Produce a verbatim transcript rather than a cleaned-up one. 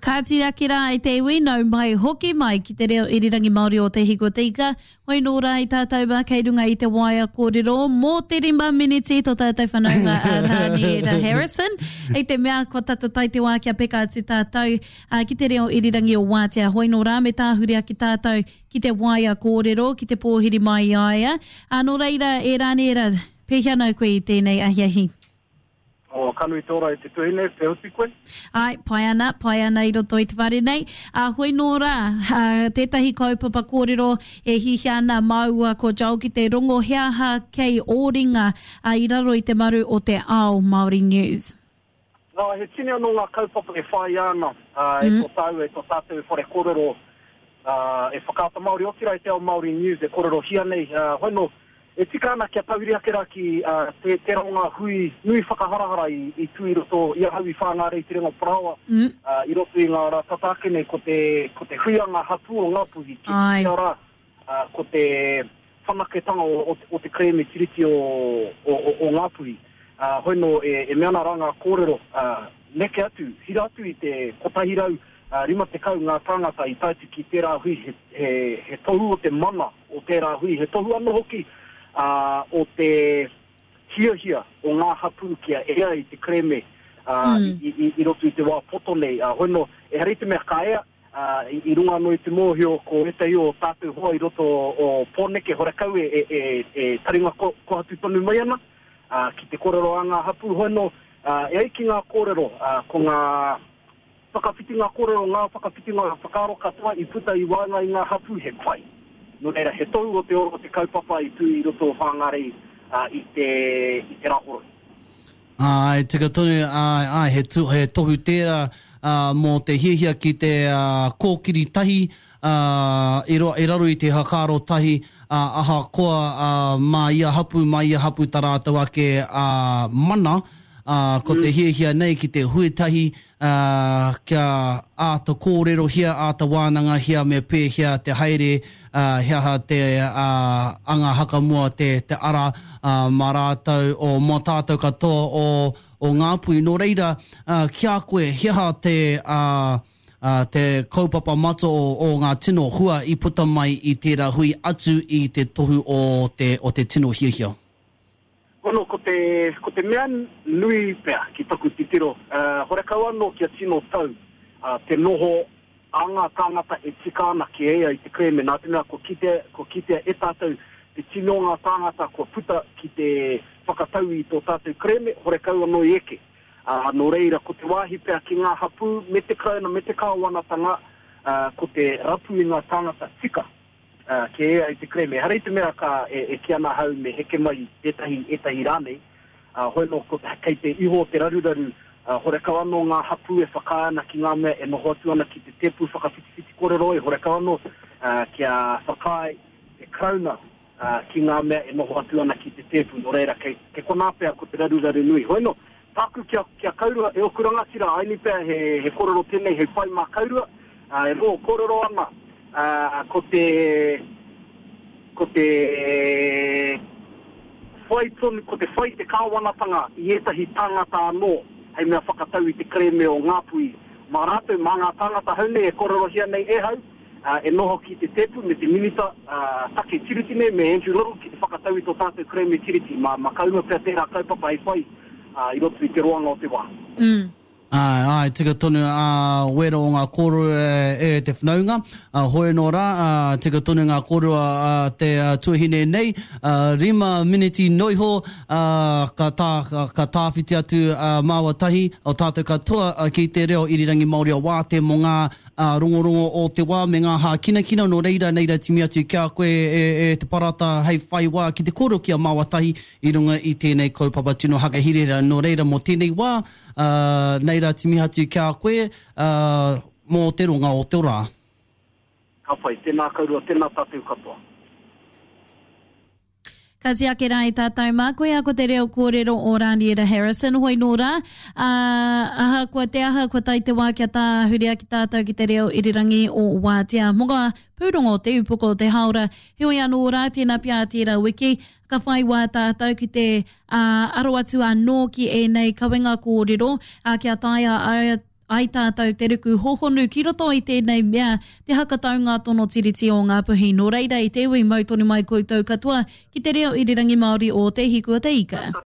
Ka tiraki rā i te iwi, nau mai, hoki mai ki te reo irirangi Māori o Te Hiku o Te Ika. Hoi nō rā i tātou mā kei runga i te waea kōrero mō te rima miniti tō tātou whanaunga a Rāniera Harrison. I te mea kua tata tae te wā kia peka atu tātou ki te reo irirangi o Wātea. Hoi nō rā me tāhuri ake tātou ki te waea kōrero, ki te pōhiri mai i a ia. Ā, nō reira, e Rāniera, pēhea nau koe i tēnei ahiahi? Oh, ka nui te ora e te tuhine, te oti koe? Ai, pai ana, pai ana i roto i te whare nei. Ā, hoi nō rā, ā, tētahi kaupapa kōrero e hihia ana māua ko Joel ki te rongo he aha kei ō ringa, ā, i raro i te maru o te ao Māori News. Nā, he tini anō ngā kaupapa e whāia ana, ā, e tō tāua, e tō tātou whare kōrero, ā, e Whakaata Māori, otirā e te ao Māori News e kōrerohia nei, ā, hoi nō, E tika ana kia tauiri ake rā ki te tērā o ngā hui nui whakaharahara i tū i roto i ahau i Whāngārei i Te Renga o Parāoa i roto i ngā rā tata ake nei ko te ko te huianga hapū o Ngāpuhi ki te rā ko te whanaketanga o te kerēme Tiriti o o Ngāpuhi. Hoi nō e mea ana rā ngā kōrero neke atu, hira atu i te kotahi rau rima tekau ngā tāngata i tae atu ki tērā hui he tohu o te mana o tērā hui, he tohu anō hoki o te hiahia o ngā hapū kia ea i te kerēme i roto i te wā poto nei. Hoi nō, ehara i te mea ka ea, i runga anō i te mōhio ko ētahi o tātou hoa i roto o Pōneke horekau e taringa kohatu tonu mai ana ki te kōrero a ngā hapū. Hoi nō, e ai ki ngā kōrero, ko ngā whakawhitinga kōrero, ngā whakawhitinga whakaaro katoa i puta i waenga i ngā hapū he pai. Nō reira, he tohu o te ora o te kaupapa i tū i roto o Whāngārei i te, i te Rāhoroi. Āe, tika tonu, āe, āe, he, tu, he tohu tērā mō te hiahia ki te kōkiri tahi i, ro, i raro i te whakaaro tahi, ahakoa mā ia hapū, mā ia hapū tā rātou ake mana, ā, ko te hiahia nei ki te hui tahi, ā, kia āta kōrerohia, āta wānangahia me pēhea te haere, ā, he aha te, ā, anga hakamua te, te ara, ā, mā rātou, o, mō tātou katoa o, o Ngāpuhi. Nō reira, ā, ki a koe, he aha te, ā, ā, te kaupapa matua o, o ngā tino hua i puta mai i tērā hui atu i te tohu o te, o te tino hiahia? Hono, ko te, ko te mea nui pea ki taku titiro, horekau anō kia tino tau te noho a ngā tāngata e tika ana ki ea i te kerēme, nā te mea kua kitea, kua kitea e tātou te tino o ngā tāngata kua puta ki te whakatau i tō tātou kerēme, horekau anō i eke. Ā, nō reira, ko te wāhi pea ki ngā hapū me te Karauna me te Kāwanatanga, ko te rapu i ngā tāngata tika. Kē ai te kerēme. Ehara i te mea ka e kī ana ahau me heke mai tētahi, ētahi rānei, hoi nō ko kei te iho o te raruraru, horekau anō ngā hapū e whakaae ana ki ngā mea e noho atu ana ki te tēpu whakawhitiwhiti kōrero ai, horekau anō kia whakaae te Karauna ki ngā mea e noho atu ana ki te tēpu, nō reira kei konā pea ko te raruraru nui. Hoi nō, Tāku kia, kia kaurua, e oku rangatira, aini pea he, he korero tenei hei whai mā kaurua, ā, e rongo korero ana, ā, ko te, ko te whai tonu, ko te whai te kāwanatanga i ētahi tāngata anō hei mea whakatau i te kerēme o Ngāpuhi. Mā rātou, mā ngā tāngata hau nei e kōrerohia nei e hau, ā, e noho ki te tēpu me te Minita, ā, take Tiriti nei, me Andrew Little ki te whakatau i tō tātou kerēme Tiriti. Mā, mā kaurua pea tērā kaupapa hei whai. I roto i te roanga o te wā. Āe, āe, tika tonu ā wera o ngā kōrero e te whanaunga. Hoi anō rā, tika tonu ngā kōrero a te tuahine nei, rima miniti noa iho, ka tā, ka tāwhiti atu māua tahi, o tātou katoa ki te reo irirangi Māori o Wāte mō ngā rongorongo o te wā me ngā hākinakina, nō reira, nei rā timi atu ki a koe e te Parata hei whai wā ki te kōrero ki a māua tahi i runga i tēnei kaupapa tino hakahirahira. Nō reira, mō tēnei wā, ā, nei rā timi atu ki a koe, ā, mō te ronga o te rā. Ka pai, tēnā kaurua, tēnā tātou katoa. Ka tiake rā i tātou mā, koia ko te reo kōrero o Rāniera Harrison, hoi nō rā, ā, ahakoa te aha, kua tae te wā kia tāhuria ki tātou ki te reo irirangi o Wātea. Mō ngā pūrongo o te upoko o te hāora, heoi anō rā, tēnā pea tērā wiki, ka whai wā tātou ki te ā, aro atu anō ki ēnei kawenga kōrero, ā, kia taea ai, ai tātou te ruku hohonu ki roto i tēnei mea, te hakataunga tono tiriti o Ngāpuhi. Nō reira, i te iwi, mau tonu mai koutou katoa ki te reo irirangi Māori o Te Hiku o Te Ika.